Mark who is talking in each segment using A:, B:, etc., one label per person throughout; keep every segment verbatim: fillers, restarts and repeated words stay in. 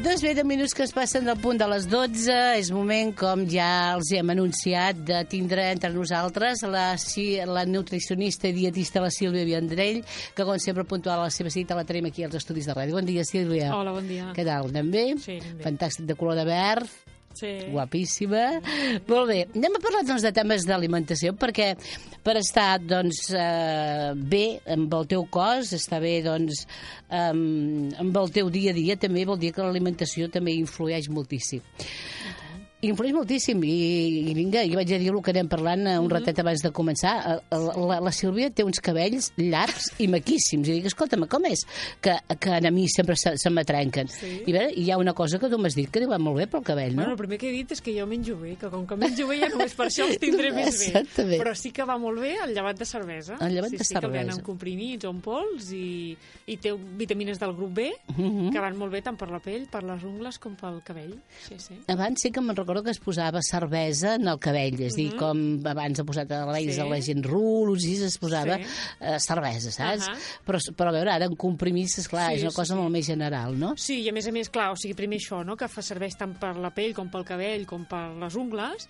A: Doncs bé, de minuts que es passen del punt de les dotze, és moment, com ja els hem anunciat, de tindre entre nosaltres la, la nutricionista i dietista, la Sílvia Vendrell, que com sempre puntual a la seva cita la tenim aquí als estudis de ràdio. Bon dia, Sílvia.
B: Hola, bon dia.
A: Què tal, anem bé?
B: Sí, anem bé.
A: Fantàstic, de color de verd.
B: Sí.
A: Guapíssima. Molt bé. Anem a parlar doncs, de temes d'alimentació, perquè per estar doncs, eh, bé amb el teu cos, estar bé doncs, eh, amb el teu dia a dia, també vol dir que l'alimentació també influeix moltíssim. Influeix moltíssim i, i vinga, jo vaig a dir el que anem parlant un mm-hmm. ratet abans de començar. La, la, la Sílvia té uns cabells llargs i maquíssims i dic, escolta'm, com és que, que a mi sempre se, se m'atrenquen? Sí. I bé, hi ha una cosa que tu m'has dit que va molt bé pel cabell, no?
B: Bueno, el primer que he dit és que jo menjo bé, que com que menjo bé ja només per això els tindré més bé.
A: Exactament.
B: Però sí que va molt bé el llevat de cervesa.
A: El llevat
B: sí,
A: de
B: sí,
A: cervesa.
B: Que venen comprimits o en pols i, i té vitamines del grup B mm-hmm. que van molt bé tant per la pell, per les ungles com pel cabell. Sí, sí.
A: Abans sí que me'n recordo que es posava cervesa en el cabell, és mm-hmm. dir, com abans ha posat a l'Eix sí. a la gent rulos i es posava sí. eh, cervesa, saps? Uh-huh. Però, però a veure, ara en comprimits, esclar, sí, és una cosa sí. molt més general, no?
B: Sí, i a més a més, clar, o sigui, primer això, no?, que fa serveix tant per la pell com pel cabell com per les ungles,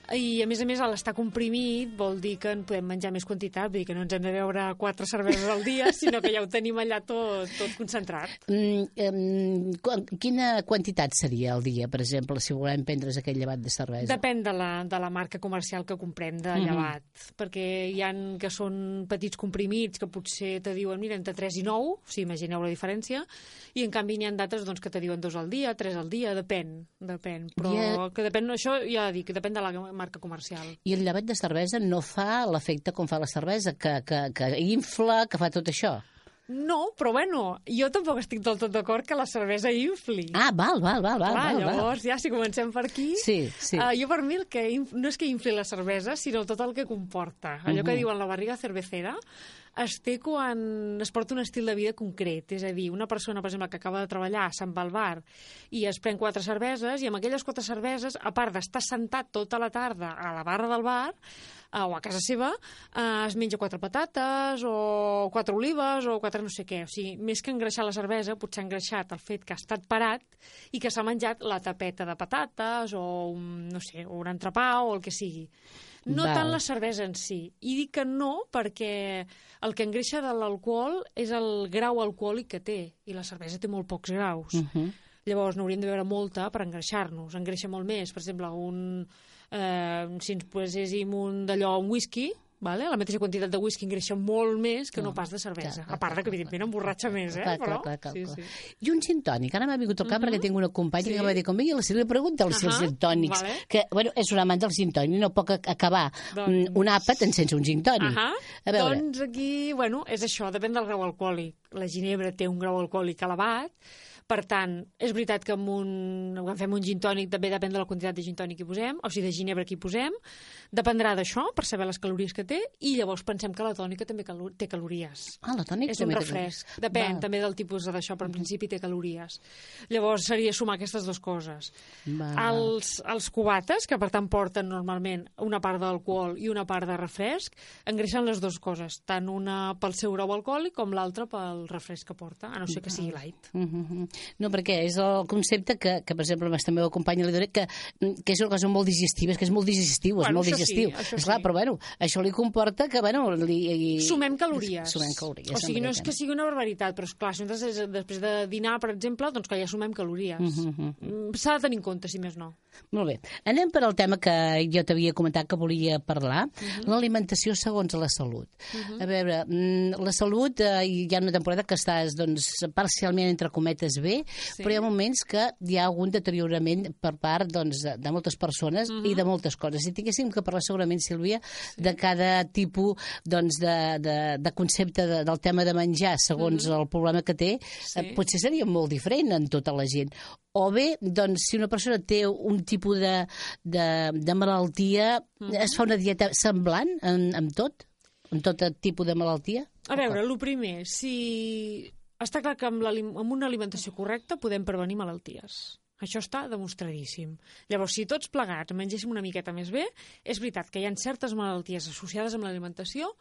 B: i a més a més a l'estar comprimit vol dir que en podem menjar més quantitat, vull dir que no ens hem de beure quatre cerveses al dia, sinó que ja ho tenim allà tot, tot concentrat.
A: Mm, um, quina quantitat seria al dia, per exemple, si volem prendre's aquell llevat de cervesa?
B: Depèn de la, de la marca comercial que comprem de llevat, mm-hmm. perquè hi ha que són petits comprimits que potser te diuen, mira, entre tres i nou, o sigui, imagineu la diferència, i en canvi n'hi ha d'altres doncs, que te diuen dos al dia, tres al dia, depèn, depèn, però yeah. que depèn, això ja dic, depèn de la marca comercial.
A: I el llevat de cervesa no fa l'efecte com fa la cervesa, que, que, que infla, que fa tot això?
B: No, però bueno, jo tampoc estic del tot d'acord que la cervesa infli.
A: Ah, val, val, val. val,
B: Clar,
A: val
B: llavors,
A: val.
B: ja, si comencem per aquí,
A: sí, sí.
B: Uh, jo per mi el que inf... no és que infli la cervesa, sinó tot el que comporta. Allò uh-huh. que diuen la barriga cervecera es té quan es porta un estil de vida concret. És a dir, una persona, per exemple, que acaba de treballar, se'n va al bar i es pren quatre cerveses, i amb aquelles quatre cerveses, a part d'estar sentat tota la tarda a la barra del bar, uh, o a casa seva, uh, es menja quatre patates, o quatre olives, o quatre no sé què. O sigui, més que engreixar la cervesa, potser ha engreixat el fet que ha estat parat i que s'ha menjat la tapeta de patates, o un, no sé, o un entrepà, o el que sigui. No Val. tant la cervesa en si. I dic que no perquè el que engreixa de l'alcohol és el grau alcohòlic que té, i la cervesa té molt pocs graus. Uh-huh. Llavors n'hauríem de beure molta per engreixar-nos. Engreixa molt més. Per exemple, un, eh, si ens poséssim un d'allò, un whisky, vale? La mateixa quantitat de whisky engreixa molt més que no, no pas de cervesa. Clar, a part de que, evidentment, emborratxa més, eh?
A: Clar,
B: Però...
A: clar, clar, clar,
B: sí,
A: clar.
B: sí.
A: I un gin tònic. Ara m'ha vingut al cap uh-huh. perquè tinc una companya sí. que va dir com ella, la Sílvia pregunta als uh-huh. gin tònics, vale. que, bueno, és un amant del gin tònic, no puc acabar doncs... un àpat sense un gin tònic.
B: Uh-huh. A veure. Doncs aquí, bueno, és això, depèn del grau alcohòlic. La ginebra té un grau alcohòlic elevat, per tant, és veritat que amb un, quan fem un gin tònic també depèn de la quantitat de gin tònic que hi posem, o sigui, de ginebra que hi posem, dependrà d'això, per saber les calories que té, i llavors pensem que la tònica també cal- té calories.
A: Ah, la tònica
B: és un
A: també
B: refresc. Té... Depèn Val. també del tipus d'això, però en principi té calories. Llavors seria sumar aquestes dues coses. Val. Els, els cubates, que per tant porten normalment una part d'alcohol i una part de refresc, engreixen les dues coses, tant una pel seu grau alcohòlic com l'altra pel refresc que porta, a no ser que sigui light.
A: Mm-hmm. No, perquè és el concepte que, que per exemple, la meva companya li diré que, que és una cosa molt digestiva, és que és molt digestiu, bueno, és molt digestiu. Sí, Esclar, sí. Però bueno, això li comporta que, bueno... Li, li...
B: Sumem calories.
A: Sumem calories.
B: O sigui, no és que sigui una barbaritat, però esclar, si nosaltres després de dinar, per exemple, doncs que ja sumem calories. Mm-hmm. S'ha de tenir en compte, si més no.
A: Molt bé. Anem per al tema que jo t'havia comentat que volia parlar, uh-huh. l'alimentació segons la salut. Uh-huh. A veure, la salut, eh, hi ha una temporada que estàs, doncs, parcialment, entre cometes, bé, sí. però hi ha moments que hi ha algun deteriorament per part, doncs, de moltes persones uh-huh. i de moltes coses. Si tinguéssim que parlar segurament, Sílvia, sí. de cada tipus, doncs, de, de, de concepte de, del tema de menjar, segons uh-huh. el problema que té, sí. eh, potser seria molt diferent en tota la gent. O bé, doncs, si una persona té un tipus de, de, de malaltia, uh-huh. es fa una dieta semblant en, en tot? En tot tipus de malaltia?
B: A veure, el primer, si... Està clar que amb, amb una alimentació correcta podem prevenir malalties. Això està demostradíssim. Llavors, si tots plegats mengéssim una miqueta més bé, és veritat que hi ha certes malalties associades amb l'alimentació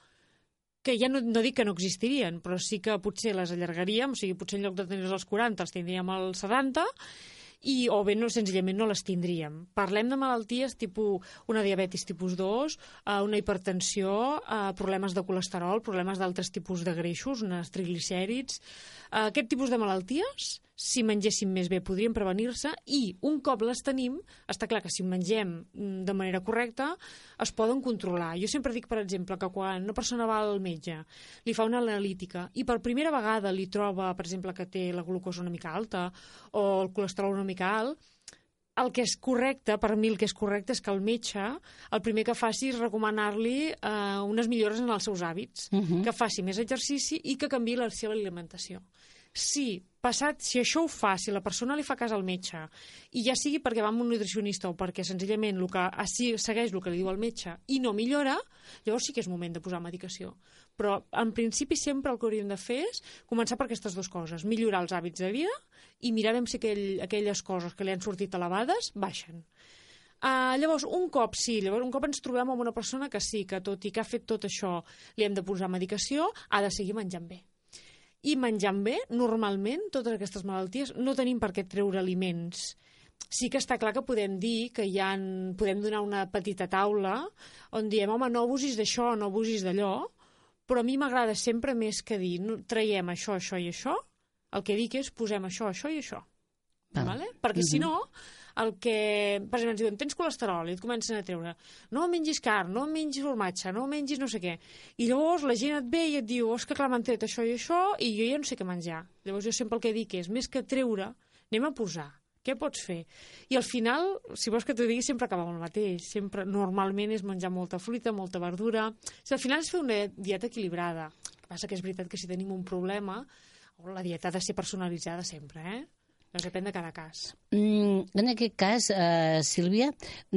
B: que ja no, no dic que no existirien, però sí que potser les allargaríem, o sigui, potser en lloc de tenir-les als quaranta els tindríem als setanta, i, o bé no, senzillament no les tindríem. Parlem de malalties tipus una diabetis tipus dos, eh, una hipertensió, eh, problemes de colesterol, problemes d'altres tipus de greixos, unes triglicèrids. Eh, aquest tipus de malalties, si mengéssim més bé, podrien prevenir-se i un cop les tenim, està clar que si mengem de manera correcta, es poden controlar. Jo sempre dic, per exemple, que quan una persona va al metge, li fa una analítica i per primera vegada li troba, per exemple, que té la glucosa una mica alta o el colesterol una mica alt, el que és correcte, per mi el que és correcte és que el metge el primer que faci és recomanar-li eh, unes millores en els seus hàbits, uh-huh. que faci més exercici i que canviï la seva alimentació. Si, passat, si això ho fa, si la persona li fa cas al metge, i ja sigui perquè va amb un nutricionista o perquè senzillament el que, així segueix el que li diu el metge i no millora, llavors sí que és moment de posar medicació. Però en principi sempre el que hauríem de fer és començar per aquestes dues coses, millorar els hàbits de vida i mirarem si aquell, aquelles coses que li han sortit elevades baixen. Uh, llavors, un cop sí, llavors un cop ens trobem amb una persona que sí, que tot i que ha fet tot això li hem de posar medicació, ha de seguir menjant bé. I menjant bé, normalment, totes aquestes malalties, no tenim per què treure aliments. Sí que està clar que podem dir que hi ha, podem donar una petita taula on diem, home, no abusis d'això, no abusis d'allò, però a mi m'agrada sempre més que dir, no, traiem això, això i això, el que dic és posem això, això i això. Ah. Vale? Perquè mm-hmm. si no, el que, per exemple, ens diuen, tens colesterol, i et comencen a treure, no mengis carn, no mengis formatge, no mengis no sé què. I llavors la gent et ve i et diu, oh, és que clar, m'han tret això i això, i jo ja no sé què menjar. Llavors jo sempre el que dic és, més que treure, anem a posar. Què pots fer? I al final, si vols que t'ho digui, sempre acaba amb el mateix. Sempre, normalment és menjar molta fruita, molta verdura. O sigui, al final és fer una dieta equilibrada. El que passa que és veritat que si tenim un problema, la dieta ha de ser personalitzada sempre, eh? Doncs depèn de cada cas.
A: Mm, en aquest cas, eh, Sílvia,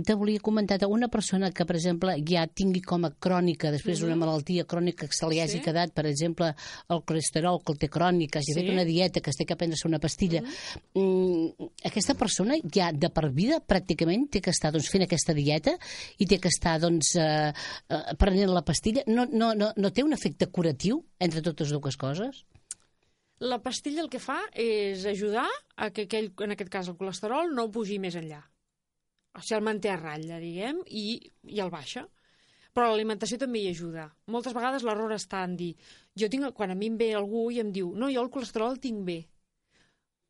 A: te volia comentar una persona que, per exemple, ja tingui com a crònica, després mm-hmm. una malaltia crònica que se li hagi sí. quedat, per exemple, el colesterol, que el té crònic, hagi sí. fet una dieta, que es té que prendre-se una pastilla. Mm-hmm. Mm, aquesta persona ja de per vida pràcticament té que estar doncs, fent aquesta dieta i té que estar doncs, eh, eh, prenent la pastilla. No, no, no, no té un efecte curatiu entre totes dues coses?
B: La pastilla el que fa és ajudar a que aquell, en aquest cas el colesterol, no pugi més enllà. O sigui, el manté a ratlla, diguem, i, i el baixa. Però l'alimentació també hi ajuda. Moltes vegades l'error està en dir, jo tinc, quan a mi em ve algú i em diu, no, jo el colesterol el tinc bé.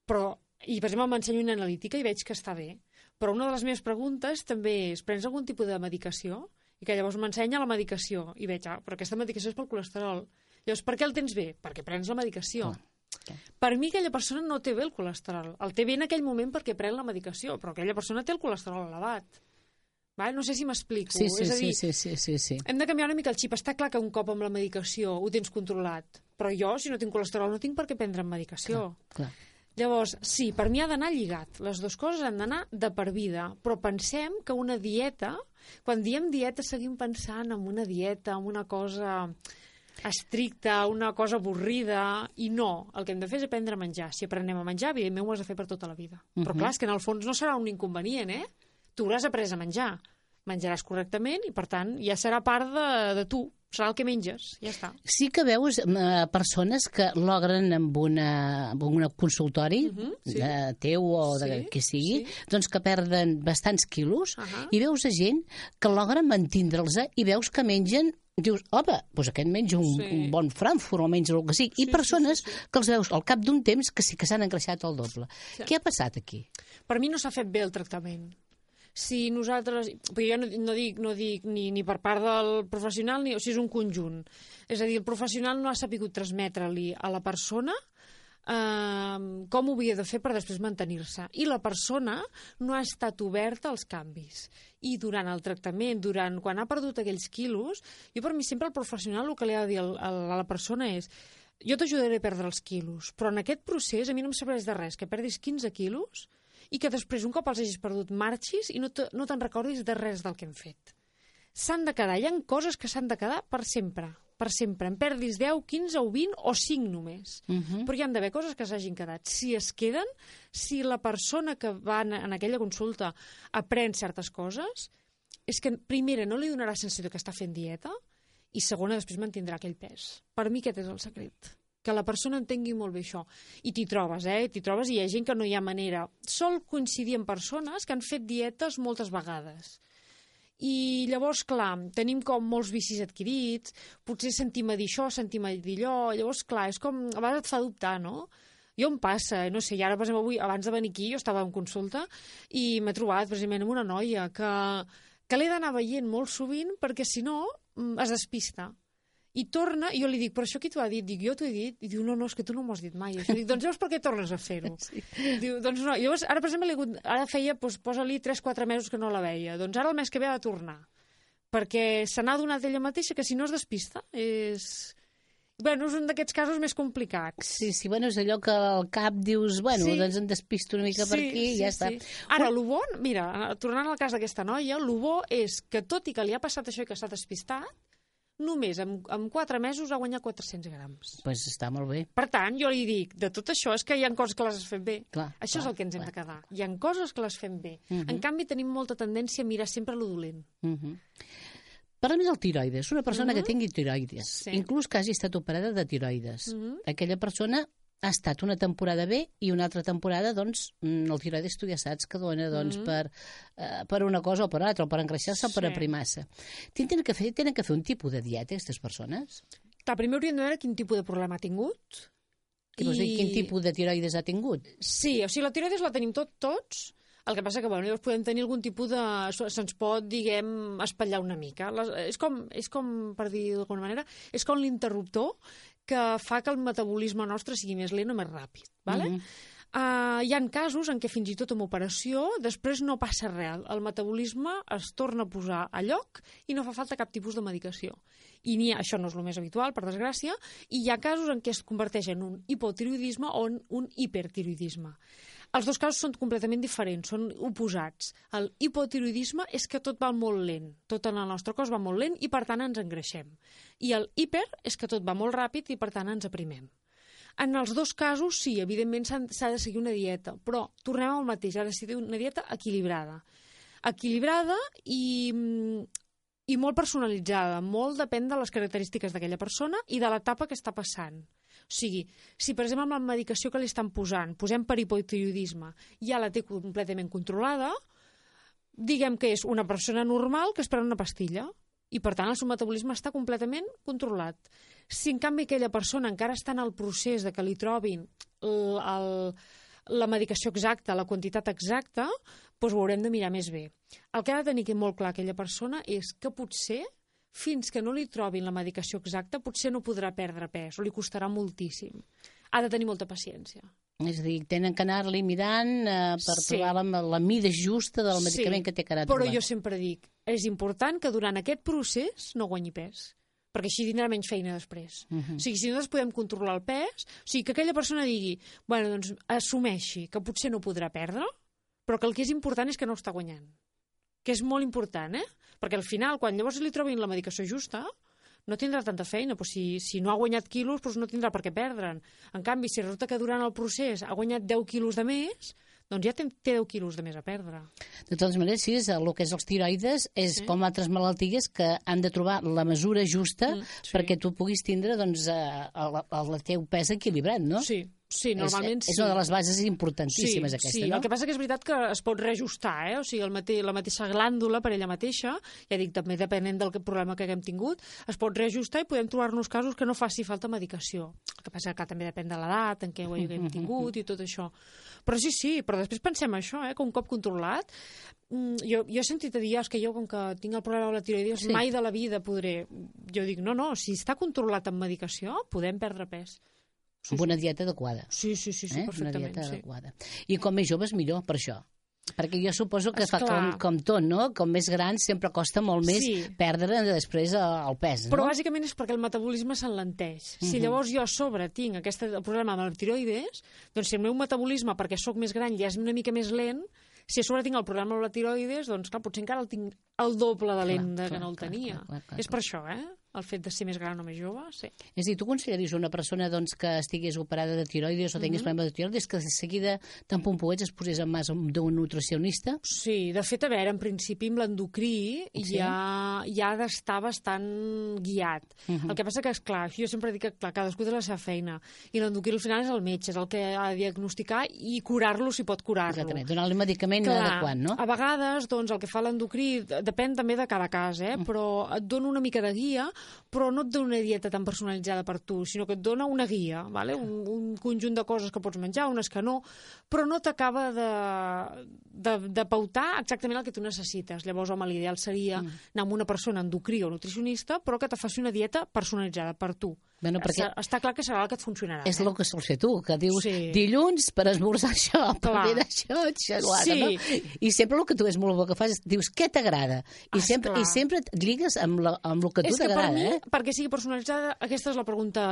B: Però, i per exemple m'ensenyo una analítica i veig que està bé. Però una de les meves preguntes també és, prens algun tipus de medicació? I que llavors m'ensenya la medicació. I veig, ah, però aquesta medicació és pel colesterol. Llavors, per què el tens bé? Perquè prens la medicació. Oh. Okay. Per mi aquella persona no té bé el colesterol. El té bé en aquell moment perquè pren la medicació, però aquella persona té el colesterol elevat. Vale? No sé si m'explico.
A: Sí, sí,
B: és a dir,
A: sí, sí, sí, sí.
B: hem de canviar una mica el xip. Està clar que un cop amb la medicació ho tens controlat, però jo, si no tinc colesterol, no tinc per què prendre medicació.
A: Clar, clar.
B: Llavors, sí, per mi ha d'anar lligat. Les dues coses han d'anar de per vida, però pensem que una dieta, quan diem dieta seguim pensant en una dieta, en una cosa estricta, una cosa avorrida, i no, el que hem de fer és aprendre a menjar. Si aprenem a menjar, evidentment ho has de fer per tota la vida. Uh-huh. Però clar, és que en el fons no serà un inconvenient, eh? Tu hauràs après a menjar. Menjaràs correctament i, per tant, ja serà part de, de tu. Serà el que menges, ja està.
A: Sí que veus eh, persones que logren amb una, amb un consultori uh-huh, sí. de teu o de sí, qui sigui, sí. doncs que perden bastants quilos uh-huh. i veus a gent que logren mantindre'ls i veus que mengen, dius, home, doncs aquest menja un, sí. un bon Frankfurt o menja el que sigui, sí, i persones sí, sí, sí. que els veus al cap d'un temps que sí que s'han engreixat el doble. Sí. Què ha passat aquí?
B: Per mi no s'ha fet bé el tractament. Si nosaltres... Perquè jo no, no dic, no dic ni, ni per part del professional, ni, o sigui, és un conjunt. És a dir, el professional no ha sapigut transmetre-li a la persona eh, com ho havia de fer per després mantenir-se. I la persona no ha estat oberta als canvis. I durant el tractament, durant quan ha perdut aquells quilos, jo per mi sempre el professional el que li ha de dir a la persona és jo t'ajudaré a perdre els quilos, però en aquest procés a mi no em serveix de res que perdis quinze quilos i que després, un cop els hagis perdut, marxis i no, te, no te'n recordis de res del que hem fet. S'han de quedar, hi ha coses que s'han de quedar per sempre, per sempre. En perdis deu, quinze o vint o cinc només. Uh-huh. Però hi han d'haver coses que s'hagin quedat. Si es queden, si la persona que va en, en aquella consulta aprèn certes coses, és que, primera, no li donarà sensació que està fent dieta i, segona, després mantindrà aquell pes. Per mi aquest és el secret. que la persona entengui molt bé això. I t'hi trobes, eh? T'hi trobes i hi ha gent que no hi ha manera. Sol coincidir amb persones que han fet dietes moltes vegades. I llavors, clar, tenim com molts vicis adquirits, potser sentim a dir això, sentim a dir allò, llavors, clar, és com, a vegades et fa dubtar, no? Jo em passa, no sé, i ara, per exemple, avui, abans de venir aquí, jo estava en consulta i m'he trobat precisament amb una noia que, que l'he d'anar veient molt sovint perquè, si no, es despista. I torna, i jo li dic, però això qui t'ho ha dit? Dic, jo t'ho he dit. I diu, no, no, és que tu no m'ho has dit mai. Això. Dic, doncs llavors per què tornes a fer-ho? Sí. Diu, doncs no. Llavors, ara, per exemple, ara feia, doncs, posa-li tres quatre mesos que no la veia. Doncs ara el mes que ve ha de tornar. Perquè se n'ha adonat ella mateixa que si no es despista és... Bueno, és un d'aquests casos més complicats.
A: Sí, sí, bueno, és allò que al cap dius, bueno, sí. doncs em despisto una mica
B: sí,
A: per aquí i
B: sí,
A: ja està.
B: Sí. Ara, el bo, mira, tornant al cas d'aquesta noia, el bo és que tot i que li ha passat això i que s'ha despistat, només en, en quatre mesos ha guanyat quatre-cents grams.
A: Doncs pues està molt bé.
B: Per tant, jo li dic, de tot això és que hi ha coses que les has fet bé.
A: Clar,
B: això
A: clar,
B: és el que ens
A: clar.
B: hem de quedar. Hi ha coses que les fem bé. Uh -huh. En canvi, tenim molta tendència a mirar sempre lo dolent.
A: Uh -huh. Parlem del tiroides. Una persona uh -huh. que tingui tiroides,
B: sí.
A: inclús que hagi estat operada de tiroides. Uh -huh. Aquella persona ha estat una temporada bé i una altra temporada, doncs, el tiroides tu ja saps que dona doncs, mm -hmm. per, uh, per una cosa o per altra, o per engreixar-se sí. o per aprimar-se. Tenen que, fer, tenen que fer un tipus de dieta, aquestes persones?
B: Clar, primer hauríem de veure quin tipus de problema ha tingut.
A: Què vols dir? Quin tipus de tiroides ha tingut?
B: Sí, o sigui, la tiroides la tenim tot, tots. El que passa que, bueno, llavors podem tenir algun tipus de... Se'ns pot, diguem, espatllar una mica. Les, és, com, és com, per dir d'alguna manera, és com l'interruptor que fa que el metabolisme nostre sigui més lent o més ràpid. Vale? Mm -hmm. uh, hi ha casos en què fins i tot amb operació després no passa res. El metabolisme es torna a posar a lloc i no fa falta cap tipus de medicació. I ni, això no és el més habitual, per desgràcia, i hi ha casos en què es converteix en un hipotiroidisme o en un hipertiroidisme. Els dos casos són completament diferents, són oposats. El hipotiroidisme és que tot va molt lent, tot en el nostre cos va molt lent i per tant ens engreixem. I el hiper és que tot va molt ràpid i per tant ens aprimem. En els dos casos, sí, evidentment s'ha de seguir una dieta, però tornem al mateix, ha de ser una dieta equilibrada. Equilibrada i, i molt personalitzada, molt depèn de les característiques d'aquella persona i de l'etapa que està passant. O sigui, si per exemple amb la medicació que li estan posant, posem per hipotiroidisme, ja la té completament controlada, diguem que és una persona normal que es pren una pastilla i per tant el seu metabolisme està completament controlat. Si en canvi aquella persona encara està en el procés de que li trobin el, el, la medicació exacta, la quantitat exacta, doncs ho haurem de mirar més bé. El que ha de tenir molt clar aquella persona és que potser fins que no li trobin la medicació exacta, potser no podrà perdre pes o li costarà moltíssim. Ha de tenir molta paciència.
A: És a dir, tenen que anar-li mirant eh, per sí. trobar la, la mida justa del medicament sí, que té que anar
B: però
A: trobant.
B: Jo sempre dic, és important que durant aquest procés no guanyi pes, perquè així tindrà menys feina després. Uh -huh. O sigui, si nosaltres podem controlar el pes, o sigui, que aquella persona digui, bueno, doncs assumeixi que potser no podrà perdre, però que el que és important és que no està guanyant. Que és molt important, eh? Perquè al final, quan llavors li trobin la medicació justa, no tindrà tanta feina, però si, si no ha guanyat quilos, doncs no tindrà per què perdre'n. En canvi, si resulta que durant el procés ha guanyat deu quilos de més, doncs ja té deu quilos de més a perdre.
A: De totes maneres, sí, el que és els tiroides és sí. com altres malalties que han de trobar la mesura justa mm, sí. perquè tu puguis tindre doncs, el, el teu pes equilibrat, no?
B: Sí. Sí, normalment
A: és,
B: sí.
A: És una de les bases importantíssimes,
B: sí,
A: aquesta,
B: sí.
A: no?
B: El que passa que és veritat que es pot reajustar, eh? O sigui, el mate la mateixa glàndula per ella mateixa, ja dic, també depenent del problema que haguem tingut, es pot reajustar i podem trobar-nos casos que no faci falta medicació. El que passa que també depèn de l'edat en què ho haguem tingut i tot això. Però sí, sí, però després pensem això, eh? Que un cop controlat, jo, jo he sentit a dir, és que jo, com que tinc el problema de la tiroides, sí. mai de la vida podré... Jo dic, no, no, si està controlat amb medicació, podem perdre pes.
A: Sí, amb una dieta adequada.
B: Sí, sí, sí, sí eh? perfectament.
A: Una dieta
B: sí.
A: adequada. I com més joves, millor, per això. Perquè jo suposo que
B: Esclar.
A: fa com, com tot, no? Com més grans sempre costa molt més sí. perdre després el pes, no?
B: Però bàsicament és perquè el metabolisme s'enlenteix. Si uh -huh. llavors jo a sobre tinc aquest problema amb el tiroides, doncs si el meu metabolisme, perquè sóc més gran, ja és una mica més lent, si a sobre tinc el problema amb la tiroides, doncs clar, potser encara el tinc el doble de lent clar, que no el
A: clar,
B: tenia.
A: Clar, clar, clar, clar,
B: és per això, eh? el fet de ser més gran o més jove, sí.
A: És a dir, tu consideraries una persona doncs, que estigués operada de tiroides o tingués mm-hmm. problemes de tiroides que de seguida, tan pompoets, es posés en mans d'un nutricionista?
B: Sí, de fet, a veure, en principi amb l'endocrí sí? ja, ja ha d'estar bastant guiat. Mm-hmm. El que passa que, esclar, jo sempre dic que clar, cadascú té la seva feina, i l'endocrí al final és el metge, és el que ha de diagnosticar i curar-lo si pot curar-lo.
A: Exactament, donar-li medicament clar, adequat, no?
B: A vegades, doncs, el que fa l'endocrí depèn també de cada cas, eh? Mm. Però et dona una mica de guia, però no et dona una dieta tan personalitzada per tu, sinó que et dona una guia, vale? un, un conjunt de coses que pots menjar, unes que no, però no t'acaba de, de, de pautar exactament el que tu necessites. Llavors, home, l'ideal seria mm. anar amb una persona endocrí o nutricionista, però que te faci una dieta personalitzada per tu.
A: Bueno, perquè
B: està clar que serà el que et funcionarà.
A: És
B: eh?
A: el que sols fer tu, que dius sí. dilluns per esmorzar això, per dinar això, això, sí. no? I sempre el que tu és molt bo que fas, dius què t'agrada? I, sempre, I sempre et lligues amb, la, amb el que tu t'agrada. És que per mi,
B: eh? perquè sigui personalitzada, aquesta és la pregunta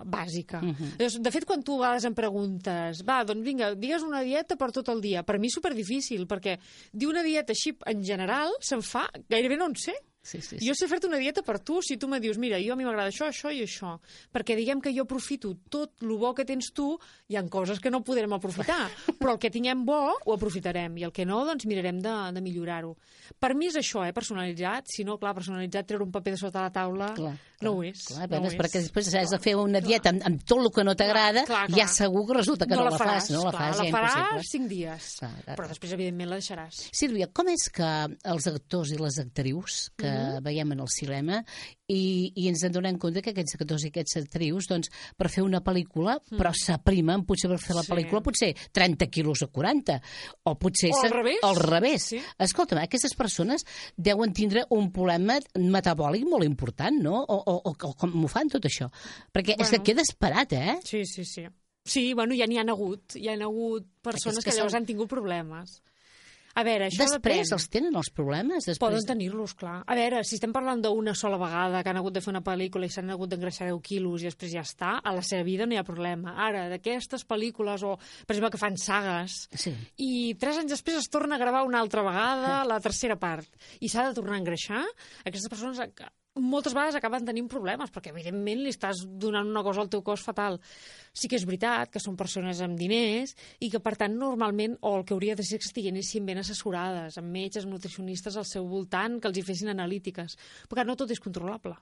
B: bàsica. Uh -huh. De fet, quan tu a vegades em preguntes, va, doncs vinga, digues una dieta per tot el dia, per mi és superdifícil, perquè dir una dieta així en general se'm fa, gairebé no en sé.
A: Sí, sí, sí.
B: Jo sé fer-te una dieta per tu si tu me dius, mira, jo a mi m'agrada això, això i això. Perquè diguem que jo aprofito tot el bo que tens tu, hi ha coses que no podrem aprofitar, però el que tinguem bo ho aprofitarem, i el que no, doncs mirarem de, de millorar-ho. Per mi és això, eh, personalitzat. Si no, clar, personalitzat, treure un paper de sota la taula, clar, no ho és.
A: Clar,
B: no
A: no
B: és.
A: Perquè després has de fer una dieta amb, amb tot el que no t'agrada, ja segur que resulta que no, no la fas. No la fas,
B: clar,
A: ja
B: la faràs cinc dies,
A: clar, clar,
B: però després, evidentment, la deixaràs.
A: Sílvia, com és que els actors i les actrius que uh-huh. veiem en el cinema i, i ens en donem compte que aquests actors i aquestes actrius, doncs, per fer una pel·lícula, mm. però s'aprimen, potser per fer la pel·lícula, sí. potser trenta quilos o quaranta, o potser...
B: O al revés.
A: Al revés.
B: Sí.
A: Escolta'm, aquestes persones deuen tindre un problema metabòlic molt important, no? O, o, o, o com ho fan tot això? Perquè bueno. és que queda esperat, eh?
B: Sí, sí, sí. Sí, bueno, ja n'hi han hagut. Hi ha hagut persones que, que llavors són... han tingut problemes. A veure, això
A: després
B: depèn.
A: Els tenen els problemes? Després...
B: Poden tenir-los, clar. A veure, si estem parlant d'una sola vegada que han hagut de fer una pel·lícula i s'han hagut d'engreixar deu quilos i després ja està, a la seva vida no hi ha problema. Ara, d'aquestes pel·lícules o, per exemple, que fan sagues,
A: sí.
B: i tres anys després es torna a gravar una altra vegada la tercera part i s'ha de tornar a engreixar, aquestes persones moltes vegades acaben tenint problemes, perquè evidentment li estàs donant una cosa al teu cos fatal. Sí que és veritat que són persones amb diners i que, per tant, normalment, o el que hauria de ser que estiguessin ben assessorades, amb metges, nutricionistes al seu voltant, que els hi fessin analítiques. Perquè no tot és controlable.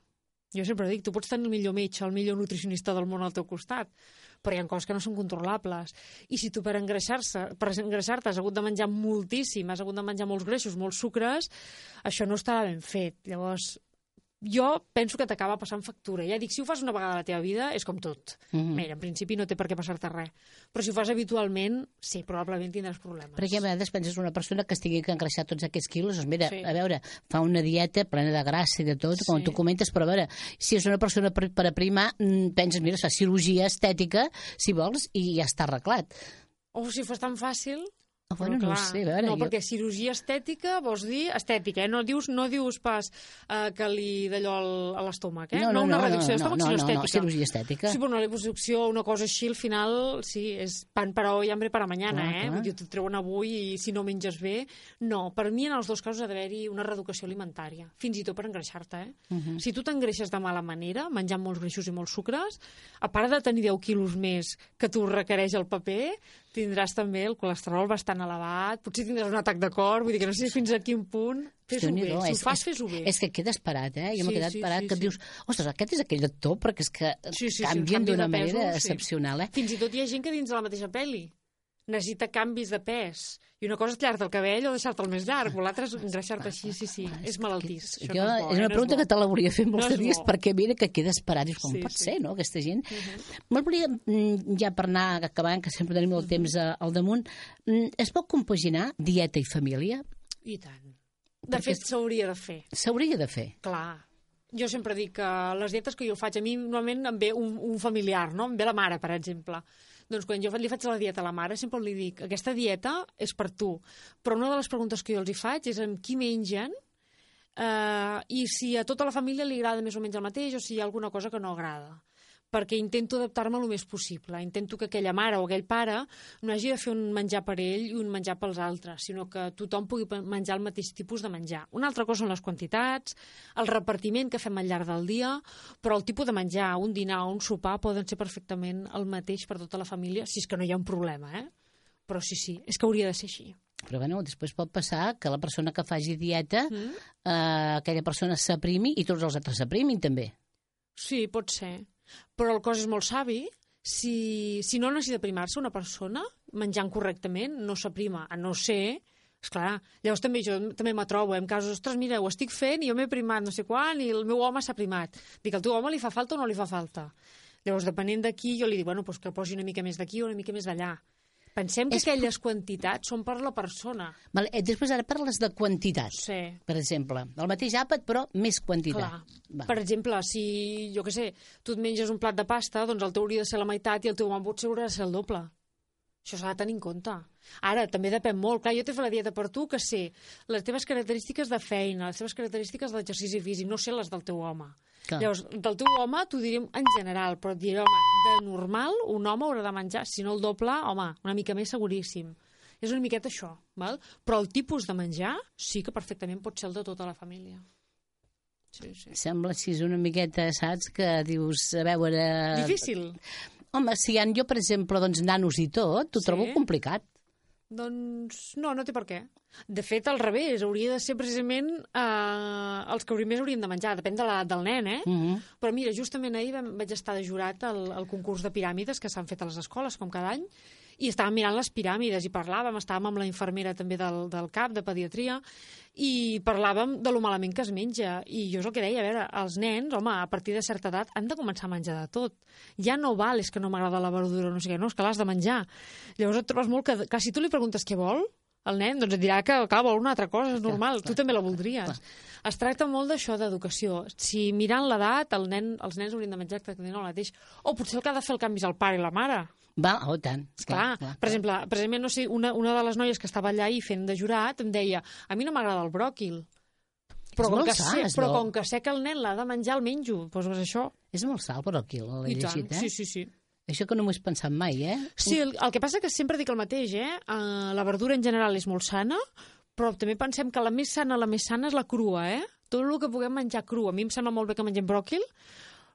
B: Jo sempre dic, tu pots tenir el millor metge, el millor nutricionista del món al teu costat, però hi ha coses que no són controlables. I si tu per engreixar-se, per engreixar-te has hagut de menjar moltíssim, has hagut de menjar molts greixos, molts sucres, això no està ben fet. Llavors, jo penso que t'acaba passant factura. Ja dic, si ho fas una vegada a la teva vida, és com tot. Mm-hmm. Mira, en principi no té per què passar-te res. Però si ho fas habitualment, sí, probablement tindràs problemes.
A: Perquè a vegades penses una persona que estigui que engreixar tots aquests quilos, doncs mira, sí. a veure, fa una dieta plena de grassa i de tot, sí. com tu comentes, però a veure, si és una persona per, per aprimar, penses, mira, fa cirurgia estètica, si vols, i ja està arreglat.
B: O si fos tan fàcil...
A: Oh, bueno, clar, no ho sé, a veure,
B: no,
A: jo...
B: perquè cirurgia estètica vols dir estètica, eh? No dius, no dius pas uh, que li d'allò a l'estómac, eh?
A: No, no,
B: no una
A: no,
B: reducció
A: no,
B: d'estómac,
A: no,
B: sinó
A: no,
B: estètica.
A: No, cirurgia estètica.
B: Sí, però una liposucció, una cosa així, al final, sí, és pan para hoy, hambre para mañana, clar, eh? Clar. Vull dir, t'ho treuen avui i si no menges bé... No, per mi en els dos casos ha d'haver-hi una reeducació alimentària, fins i tot per engreixar-te, eh? Uh -huh. Si tu t'engreixes de mala manera, menjant molts greixos i molts sucres, a part de tenir deu quilos més que tu requereix el paper, tindràs també el colesterol bastant elevat, potser tindràs un atac de cor, vull dir que no sé fins a quin punt. Fes-ho bé, si ho fas, fes-ho bé.
A: És que quedes parat, eh? Jo
B: sí,
A: m'he quedat
B: sí,
A: parat,
B: sí,
A: que
B: sí.
A: dius, ostres, aquest és aquell actor, perquè és que
B: sí, sí,
A: canvien
B: sí,
A: d'una
B: pesos,
A: manera
B: sí.
A: excepcional, eh?
B: Fins i tot hi ha gent que dins de la mateixa pel·li necessita canvis de pes. I una cosa és tallar-te el cabell o deixar-te'l més llarg, o l'altra és engreixar-te així, sí, sí. És malaltís.
A: Jo, no és, bo, és una eh? pregunta no és que te la volia fer molts no dies, bo. Perquè mira que quedes parat. Dius, com sí, pot sí. ser, no?, aquesta gent. Uh -huh. Me'l volia, ja per anar acabant, que sempre tenim el uh -huh. temps al damunt, es pot compaginar dieta i família?
B: I tant. De perquè fet, s'hauria de fer.
A: S'hauria de fer.
B: Clar. Jo sempre dic que les dietes que jo faig, a mi normalment em ve un, un familiar, no? Em ve la mare, per exemple. Doncs quan jo li faig la dieta a la mare, sempre li dic, aquesta dieta és per tu. Però una de les preguntes que jo els hi faig és amb qui mengen eh, i si a tota la família li agrada més o menys el mateix o si hi ha alguna cosa que no agrada. perquè intento adaptar-me el més possible. Intento que aquella mare o aquell pare no hagi de fer un menjar per ell i un menjar pels altres, sinó que tothom pugui menjar el mateix tipus de menjar. Una altra cosa són les quantitats, el repartiment que fem al llarg del dia, però el tipus de menjar, un dinar o un sopar poden ser perfectament el mateix per tota la família, si és que no hi ha un problema, eh? Però sí, sí, és que hauria de ser així.
A: Però bueno, després pot passar que la persona que faci dieta,
B: Mm.
A: eh, aquella persona s'aprimi i tots els altres s'aprimin també.
B: Sí, pot ser. Però el cos és molt savi. Si, si no necessita primar-se una persona, menjant correctament, no s'aprima, a no ser... Esclar, llavors també jo també me trobo en casos, ostres, mira, ho estic fent i jo m'he primat no sé quan i el meu home s'ha primat. Dic, al teu home li fa falta o no li fa falta? Llavors, depenent d'aquí, jo li dic, bueno, doncs que posi una mica més d'aquí o una mica més d'allà. Pensem que
A: És...
B: aquelles quantitats són per la persona.
A: Vale, eh, després ara parles de quantitat,
B: Sí.
A: per exemple. El mateix àpat, però més quantitat.
B: Clar.
A: Va.
B: Per exemple, si, jo què sé, tu et menges un plat de pasta, doncs el teu hauria de ser la meitat i el teu home potser haurà de ser el doble. Això s'ha de tenir en compte. Ara, també depèn molt. Clar, jo t'he fet la dieta per tu, que sé les teves característiques de feina, les teves característiques d'exercici físic, no sé les del teu home.
A: Clar.
B: Llavors, del teu home t'ho direm en general, però et diré, home, de normal, un home haurà de menjar, si no el doble, home, una mica més seguríssim. És una miqueta això, val? Però el tipus de menjar sí que perfectament pot ser el de tota la família. Sí, sí.
A: Sembla així una miqueta, saps, que dius, a veure...
B: Difícil.
A: Home, si hi ha jo, per exemple, doncs, nanos i tot, t'ho
B: Sí.
A: trobo complicat.
B: Doncs no, no té per què. De fet, al revés, hauria de ser precisament eh, els que més hauríem de menjar, depèn de l'edat del nen, eh?
A: Mm -hmm.
B: Però mira, justament ahir vam, vaig estar de jurat al, al concurs de piràmides que s'han fet a les escoles, com cada any, i estàvem mirant les piràmides i parlàvem, estàvem amb la infermera també del, del C A P, de pediatria, i parlàvem de lo malament que es menja. I jo és el que deia, a veure, els nens, home, a partir de certa edat han de començar a menjar de tot. Ja no val, és que no m'agrada la verdura, no sé què, no, és que l'has de menjar. Llavors et trobes molt que, que si tu li preguntes què vol, el nen, doncs et dirà que, clar, vol una altra cosa, és normal, clar, tu clar, també la voldries. Clar. Es tracta molt d'això, d'educació. Si mirant l'edat, el nen, els nens haurien de menjar exactament el mateix. O potser el que ha de fer el canvi és el pare i la mare.
A: Va, oh, tant.
B: Clar, clar, clar, per exemple, precisament, no sé, una, una de les noies que estava allà i fent de jurat em deia, a mi no m'agrada el bròquil, però, com que,
A: sa,
B: sé, però
A: bo.
B: com que sé que el nen l'ha de menjar, el menjo. Doncs és això.
A: És molt sal, però aquí l'he
B: I tant,
A: llegit, eh?
B: sí, sí, sí.
A: Això que no m'ho he pensat mai, eh?
B: Sí, el, el que passa que sempre dic el mateix, eh? Uh, la verdura en general és molt sana, però també pensem que la més sana, la més sana és la crua, eh? Tot el que puguem menjar cru. A mi em sembla molt bé que mengem bròquil,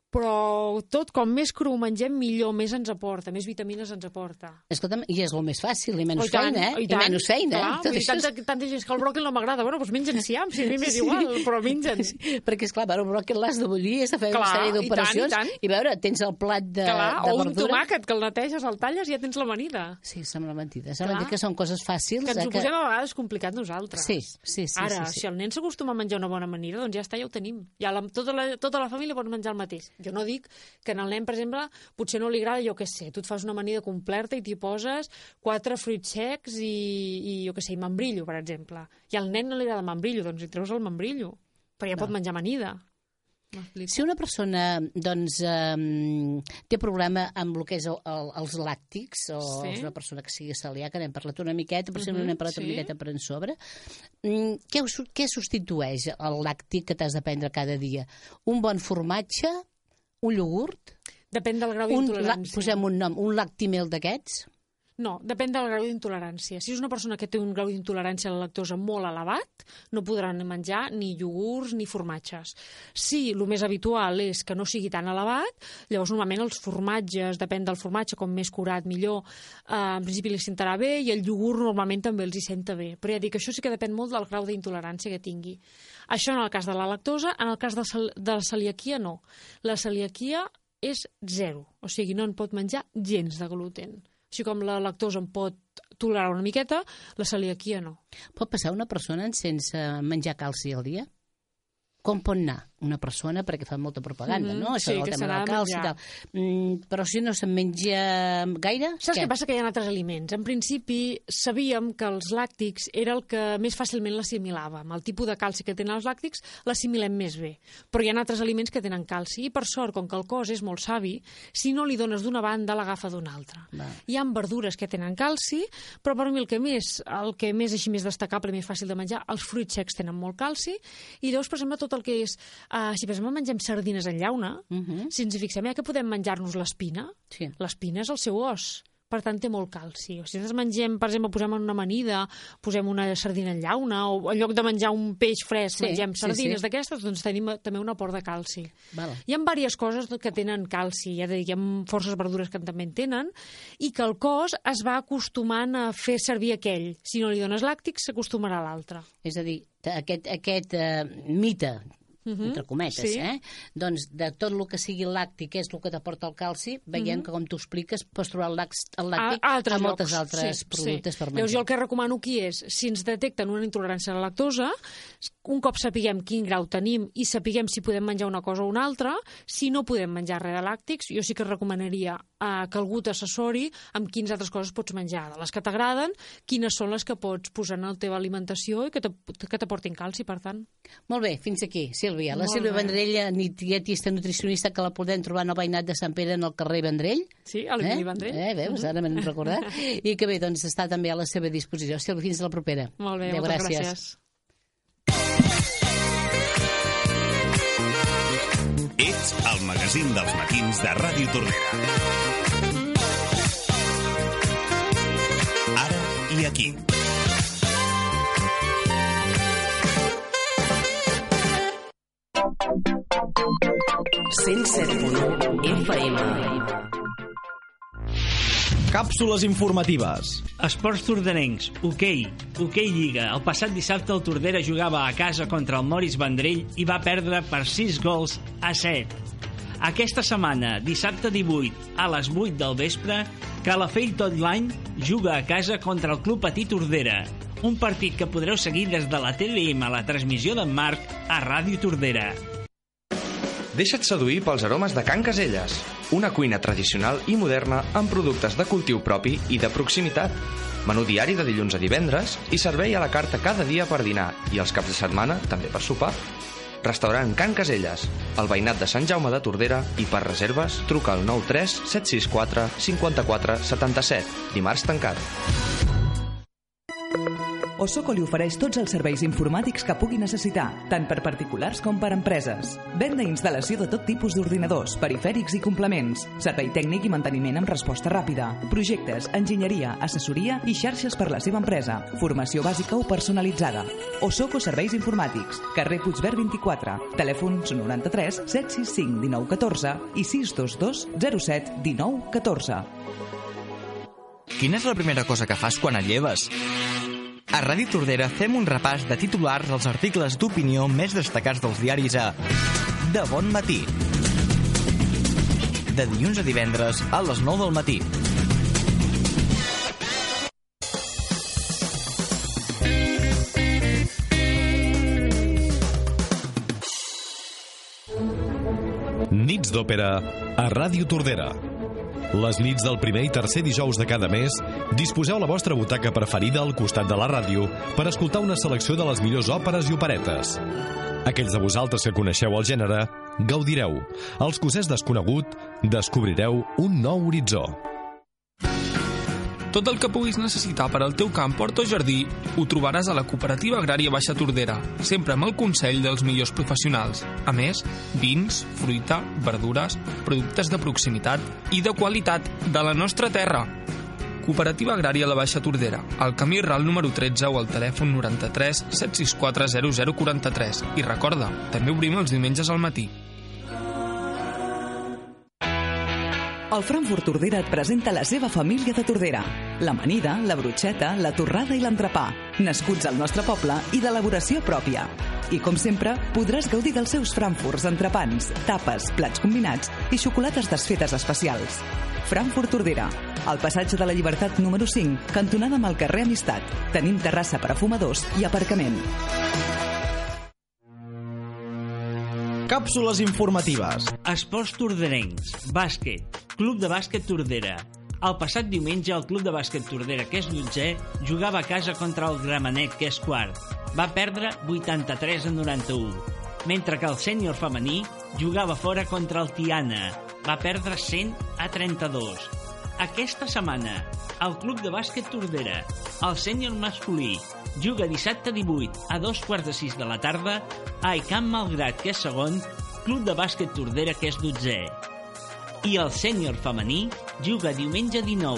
B: però tot, com més cru mengem, millor, més ens aporta, més vitamines ens aporta.
A: Escolta'm, i és el més fàcil, i menys
B: Oh, i tant,
A: feina, eh?
B: oh, i
A: I,
B: tant,
A: menys feina,
B: clar,
A: eh? Tot
B: vull dir,
A: això
B: tanta,
A: és...
B: tanta gent que el bròquil no m'agrada, bueno, doncs mengen siam, si a mi m'és
A: Sí.
B: igual, però mengen.
A: Sí, perquè, esclar, el bròquil l'has de bullir, has de fer
B: Clar,
A: una sèrie
B: i tant,
A: d'operacions,
B: i tant.
A: i, veure, tens el plat de,
B: Clar,
A: de
B: o un
A: verdura...
B: tomàquet, que el neteges, el talles i ja tens l'amanida.
A: Sí, sembla mentida. Sembla
B: Clar.
A: mentida que són coses fàcils.
B: Que ens
A: eh,
B: ho posem a vegades complicat nosaltres.
A: Sí, sí, sí.
B: Ara,
A: sí, sí.
B: si el nen s'acostuma a menjar una bona amanida, doncs ja està, ja ho tenim. Ja la, tota, la, tota la família pot menjar el mateix. Jo no dic que en el nen, per exemple, potser no li agrada, jo què sé, tu et fas una amanida completa i t'hi poses quatre fruits secs i, i jo què sé, i membrillo, per exemple. I al nen no li agrada el membrillo, doncs hi treus el membrillo. Però ja
A: No.
B: pot menjar amanida.
A: Si una persona doncs, eh, té problema amb el que és el, el, els làctics, o
B: Sí.
A: és una persona que sigui celíaca, n'hem parlat una miqueta, però si no
B: Mhm,
A: n'hem parlat
B: sí.
A: una miqueta per en sobre, mm, què, us- què substitueix el làctic que t'has de prendre cada dia? Un bon formatge? Un iogurt?
B: Depèn del grau
A: Un, la,
B: d'intolerància.
A: posem un nom, un lactimel d'aquests?
B: No, depèn del grau d'intolerància. Si és una persona que té un grau d'intolerància a la lactosa molt elevat, no podran menjar ni iogurts ni formatges. Si el més habitual és que no sigui tan elevat, llavors normalment els formatges, depèn del formatge, com més curat millor, eh, en principi li sentarà bé, i el iogurt normalment també els hi senta bé. Però ja dic, això sí que depèn molt del grau d'intolerància que tingui. Això en el cas de la lactosa, en el cas de, cel de la celiaquia no. La celiaquia és zero, o sigui, no en pot menjar gens de gluten. Així com la lactosa en pot tolerar una miqueta, la celiaquia no.
A: Pot passar una persona sense menjar calci al dia? Com pot anar una persona, perquè fa molta propaganda,
B: Mhm,
A: no? Això
B: sí,
A: del
B: que
A: tema
B: se n'ha
A: del
B: de
A: calci i
B: menjar.
A: tal. Mm, però si no se'n menja gaire,
B: Saps què? què passa? Que hi ha altres aliments. En principi, sabíem que els làctics era el que més fàcilment l'assimilàvem. El tipus de calci que tenen els làctics l'assimilem més bé. Però hi ha altres aliments que tenen calci i, per sort, com que el cos és molt savi, si no li dones d'una banda, l'agafa d'una altra.
A: Va.
B: Hi ha verdures que tenen calci, però per mi el que més, el que més així més destacable i més fàcil de menjar, els fruits secs tenen molt calci, i llavors, per exemple, tot el que és Uh, si, per exemple, mengem sardines en llauna,
A: Uh -huh.
B: si ens hi fixem, ja que podem menjar-nos l'espina,
A: Sí.
B: l'espina és el seu os. Per tant, té molt calci. O si ens mengem, per exemple, posem en una amanida, posem una sardina en llauna, o en lloc de menjar un peix fresc,
A: Sí,
B: mengem
A: sí,
B: sardines
A: sí.
B: d'aquestes, doncs tenim també un aport de calci.
A: Val.
B: Hi ha diverses coses que tenen calci, ja dic, hi ha forces verdures que també en tenen, i que el cos es va acostumant a fer servir aquell. Si no li dones làctics, s'acostumarà a l'altre.
A: És a dir, aquest, aquest uh, mite, uh -huh. entre cometes,
B: Sí.
A: eh? Doncs de tot el que sigui làctic, que és el que t'aporta el calci, veiem uh -huh. que, com tu expliques, pots trobar el, lax, el làctic
B: a, a,
A: a moltes
B: llocs.
A: altres
B: sí,
A: productes
B: sí.
A: per menjar.
B: Llavors, jo el que recomano aquí és, si ens detecten una intolerància a la lactosa, un cop sapiguem quin grau tenim i sapiguem si podem menjar una cosa o una altra, si no podem menjar res de làctics, jo sí que recomanaria eh, que algú t'assessori amb quines altres coses pots menjar, de les que t'agraden, quines són les que pots posar en la teva alimentació i que t'aportin calci, per tant.
A: Molt bé, fins aquí, Sílvia. La
B: Molt
A: Sílvia
B: bé.
A: Vendrell, dietista nutricionista, que la podem trobar a Veïnat de Sant Pere, en el carrer Vendrell.
B: Sí, a l'Emili Vendrell.
A: Eh, veus, ara m'he recordat. I que bé, doncs està també a la seva disposició. Sílvia, fins a la propera.
B: Molt bé,
A: Adéu,
B: moltes
A: gràcies.
B: gràcies.
C: Ets al magazín dels matins de Ràdio Tordera. Ara i aquí.
D: cent set punt u F M.
E: Càpsules informatives.
F: Esports tordenencs, hoquei, hoquei Lliga. El passat dissabte el Tordera jugava a casa contra el Moris Vendrell i va perdre per sis gols a set. Aquesta setmana, dissabte divuit, a les vuit del vespre, Calafell Tot l'Any juga a casa contra el Club Patí Tordera. Un partit que podreu seguir des de la T V M a la transmissió d'en Marc a Ràdio Tordera.
G: Deixa't seduir pels aromes de Can Caselles, una cuina tradicional i moderna amb productes de cultiu propi i de proximitat. Menú diari de dilluns a divendres i servei a la carta cada dia per dinar i els caps de setmana també per sopar. Restaurant Can Caselles, al veïnat de Sant Jaume de Tordera, i per reserves truca al nou tres set sis quatre cinc quatre set set, dimarts tancat.
H: Osoco li ofereix tots els serveis informàtics que pugui necessitar, tant per particulars com per empreses. Venda i instal·lació de tot tipus d'ordinadors, perifèrics i complements, servei tècnic i manteniment amb resposta ràpida, projectes, enginyeria, assessoria i xarxes per la seva empresa, formació bàsica o personalitzada. Osoco Serveis Informàtics, carrer Puigverd vint-i-quatre, telèfons noranta-tres set sis cinc dinou catorze i sis dos dos zero set dinou catorze.
E: Quina és la primera cosa que fas quan et lleves? A Ràdio Tordera fem un repàs de titulars dels articles d'opinió més destacats dels diaris a De Bon Matí. De dilluns a divendres a les nou del matí.
I: Nits d'òpera a Ràdio Tordera. Les nits del primer i tercer dijous de cada mes, disposeu la vostra butaca preferida al costat de la ràdio per escoltar una selecció de les millors òperes i operetes. Aquells de vosaltres que coneixeu el gènere, gaudireu. Els que us és desconegut, descobrireu un nou horitzó.
J: Tot el que puguis necessitar per al teu camp, hort o jardí ho trobaràs a la Cooperativa Agrària Baixa Tordera, sempre amb el consell dels millors professionals. A més, vins, fruita, verdures, productes de proximitat i de qualitat de la nostra terra. Cooperativa Agrària La Baixa Tordera, al camí Ral número tretze o al telèfon noranta-tres set sis quatre zero zero quaranta-tres. I recorda, també obrim els diumenges al matí.
H: El Frankfurt Tordera et presenta la seva família de Tordera. L'amanida, la brutxeta, la torrada i l'entrepà, nascuts al nostre poble i d'elaboració pròpia. I com sempre, podràs gaudir dels seus frankfurts, entrepans, tapes, plats combinats i xocolates desfetes especials. Frankfurt Tordera, al passatge de la Llibertat número cinc, cantonada amb el carrer Amistat. Tenim terrassa per a fumadors i aparcament.
E: Càpsules informatives.
F: Esports torderencs, bàsquet, Club de Bàsquet Tordera. El passat diumenge el Club de Bàsquet Tordera, que és dotzè, jugava a casa contra el Gramenet, que és quart. Va perdre vuitanta-tres a noranta-u, mentre que el sènior femení jugava fora contra el Tiana. Va perdre cent a trenta-dos. Aquesta setmana, el Club de Bàsquet Tordera, el sènior masculí, juga dissabte divuit a dos quarts de sis de la tarda a Icamp Malgrat, que és segon, Club de Bàsquet Tordera, que és dotzè. I el sènior femení juga diumenge dinou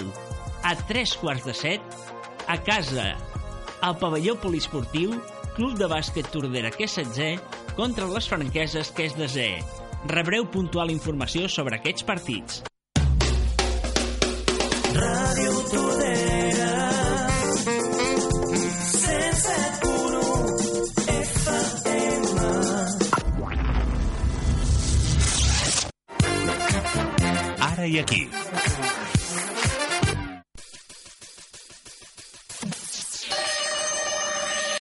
F: a tres quarts de set a casa, al pavelló poliesportiu, Club de Bàsquet Tordera, que és setzè, contra les Franqueses, que és desè. Rebreu puntual informació sobre aquests partits.
K: Ràdio Tordera cent set punt u F M.
C: Ara i aquí.